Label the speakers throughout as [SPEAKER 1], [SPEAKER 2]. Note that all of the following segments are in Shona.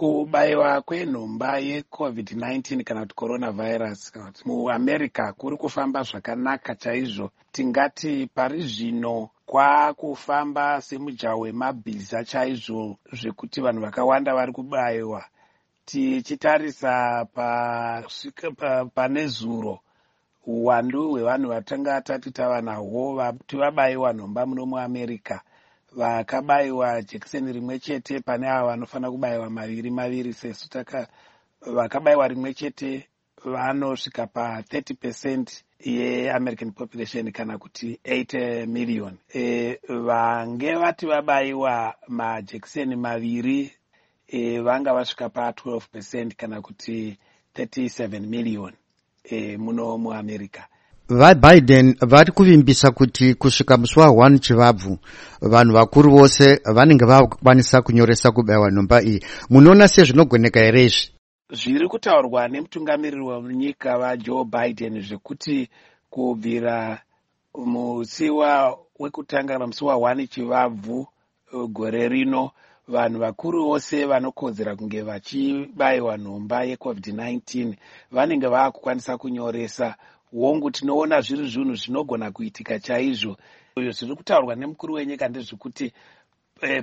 [SPEAKER 1] Kubayiwa kwenhomba yeCovid-19 kana kuti coronavirus kana kuti muAmerica kuri kufamba zvakanaka chaizvo. Tingati pari zvino kwakufamba semujaho wemabhiza chaizvo, zvekuti vanhu vakawanda vari kubayiwa. Tichitarisa pane zuro, uwandu hwevanhu vatanga tati tava nahwo vati vabayiwa nhomba muno muAmerica, vakabayiwa jekiseni rimwe chete pane ava vanofanira kubayiwa maviri maviri sesu taka, vakabayiwa rimwe chete vanosvika pa30% yeAmerican population kana kuti 8 million. Vange vati vabayiwa majekiseni maviri vanga vasvika pa12% kana kuti 37 million muno muAmerica.
[SPEAKER 2] VaBiden vari kuvimbisa kuti kusvika musi wa1 Chivabvu vanhu vakuru vose vanenge vakukwanisa kunyoresa kubayiwa nhomba iyi. Munoona sezvinogoneka here izvi?
[SPEAKER 1] Zviri kutaurwa nemutungamiriri wenyika vaJoe Biden zvekuti kubvira musi wekutanga kana musi wa1 Chivabvu gore rino, vanhu vakuru vose vanokodzera kunge vachibayiwa nhomba yeCovid-19 vanenge vaakukwanisa kunyoresa. Hongu, tinoona zviri zvinhu zvinogona kuitika chaizvo. Zviri kutaurwa nemukuru wenyika ndezvekuti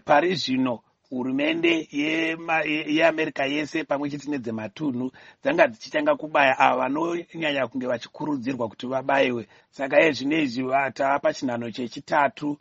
[SPEAKER 1] pari zvino hurumende yeAmerica yese pamwe chete nedzematunhu dzanga dzichitanga kubaya ava vanonyanya kunge vachikurudzirwa kuti vabayiwe. Saka iye zvino izvi tava pachinhano chechitatu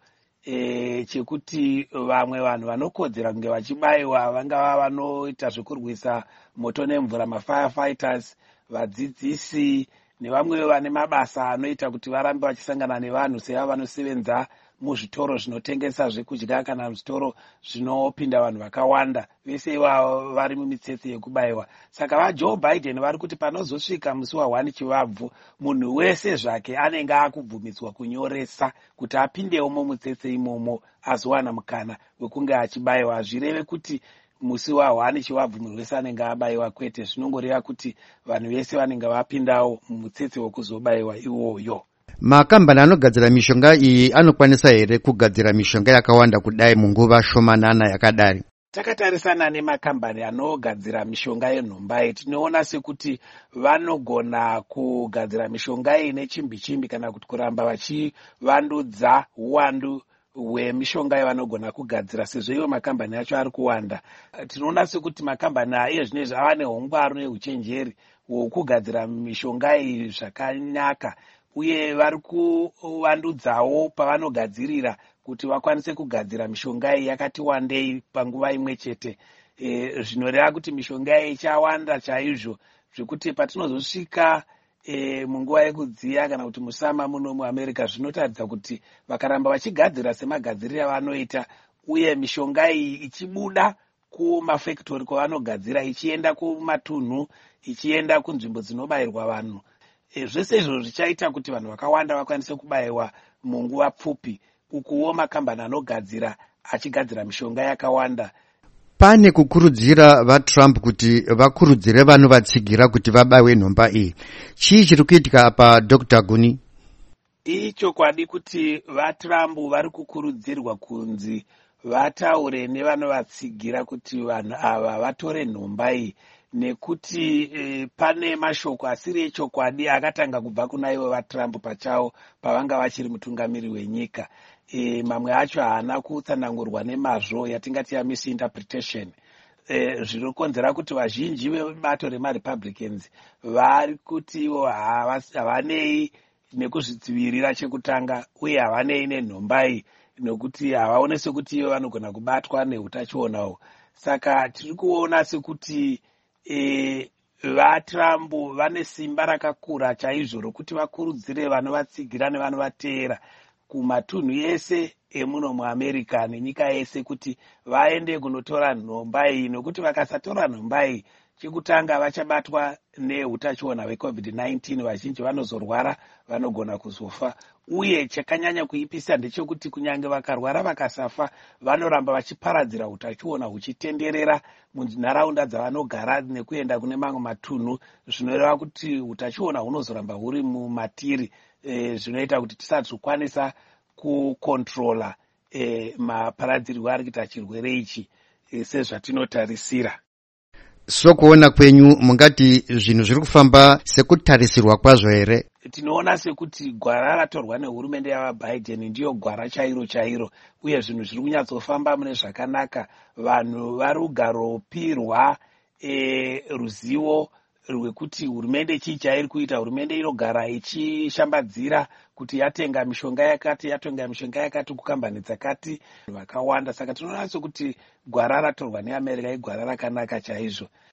[SPEAKER 1] chekuti vamwe vanhu vanokodzera kunge vachibayiwa, vangava vanoita zvekurwisa moto nemvura, mafirefighters, vadzidzisi nevamwe vane mabasa anoita kuti varambe vachisangana nevanhu, seava vanosevenza muzvitoro zvinotengesa zvekudya kana zvitoro zvinopinda vanhu vakawanda. Vese ivavo vari mumitsetse yekubayiwa. Saka vaJoe Biden vari kuti panozosvika musi wa1 Chivabvu, munhu wese zvake anenge akubvumidzwa kunyoresa kuti apindewo mumutsetse imomo azowana mukana wekunge achibayiwa. Hazvireve kuti musi wa1 Chivabvu munhu wese anenge abayiwa, kwete. Zvinongoreva kuti vanhu vese vanenge vapindawo mumutsetse wekuzobayiwa iwoyo.
[SPEAKER 2] Makambani anogadzira mishonga iyi anokwanisa here kugadzira mishonga yakawanda kudai munguva shomanana yakadari?
[SPEAKER 1] Takatarisana nemakambani anogadzira mishonga yenhomba iyi, tinoona sekuti vanogona kugadzira mishonga iyi nechimbi chimbi kana kuti kuramba vachivandudza uwandu hwemishonga yavanogona kugadzira, sezvo ivo makambani acho ari kuwanda. Tinoona sekuti makambani aiye zvino izvi ava neungwaru neuchenjeri hwokugadzira mishonga iyi zvakanaka, uye vari kuvandudzawo pavanogadzirira kuti vakwanise kugadzira mishonga iyi yakati wandei panguva imwe chete. Zvinoreva kuti mishonga iyi ichawanda chaizvo, zvekuti patinozosvika munguva yekudziya kana kuti musama muno muAmerica, zvinotaridza kuti vakaramba vachigadzira semagadziriro avanoita, uye mishonga iyi ichibuda kumafekitori kwavanogadzira ichienda kumatunhu, ichienda kunzvimbo dzinobayirwa vanhu, zvese izvozvo zvichaita kuti vanhu vakawanda vakwanise kubayiwa munguva pfupi, ukuwo makambani anogadzira achigadzira mishonga yakawanda.
[SPEAKER 2] Pane kukurudzira vaTrump kuti vakurudzire vanovatsigira kuti vabayiwe nhomba iyi, chii chiri kuitika apa, Dr Guni?
[SPEAKER 1] Ichokwadi kuti vaTrump vari kukurudzirwa kunzi vataure nevanovatsigira kuti vanhu ava vatore nhomba iyi, nekuti pane mashoko asiri echokwadi akatanga kubva kuna ivo vaTrump pachavo pavanga vachiri mutungamiri wenyika. Mamwe acho haana kutsanangurwa nemazvo, yatingati yamisinterpretation, zvinokonzera kuti vazhinji vebato remaRepublicans vari kuti ivo havanei nekuzvidzivirira chekutanga, uye havanei nenhomba iyi, nokuti havaone sekuti ivo vanogona kubatwa neutachionawo. Saka tiri kuona sekuti vaTrump vane simba rakakura chaizvo rokuti vakurudzire vanovatsigira nevanovateera kumatunhu ese emuno muAmerica nenyika yese kuti vaende kunotora nhomba iyi, nokuti vakasatora nhomba iyi, chekutanga vachabatwa neutachiona hweCovid-19, vazhinji vanozorwara, vanogona kuzofa. Uye chakanyanya kuipisa ndechekuti kunyange vakarwara vakasafa, vanoramba vachiparadzira utachiona huchitenderera munharaunda dzavanogara nekuenda kune mamwe matunhu, zvinoreva kuti utachiona hunozoramba huri mumatiri, zvinoita kuti tisazokwanisa kukontrola maparadzirwo ari kuita chirwere ichi sezvatinotarisira.
[SPEAKER 2] Sokuona kwenyu, mungati zvinhu zviri kufamba sekutarisirwa kwazvo here?
[SPEAKER 1] Tinoona sekuti gwara ratorwa nehurumende yavaBiden ndiyo gwara chairo chairo, uye zvinhu zviri kunyatsofamba mune zvakanaka. Vanhu vari kugaropirwa ruzivo rwekuti hurumende chii chairi kuita. Hurumende inogara ichishambadzira kuti yatenga mishonga yakati, yatenga mishonga yakati kukambani dzakati vakawanda. Saka tinoona sekuti gwara ratorwa neAmerica igwara rakanaka chaizvo.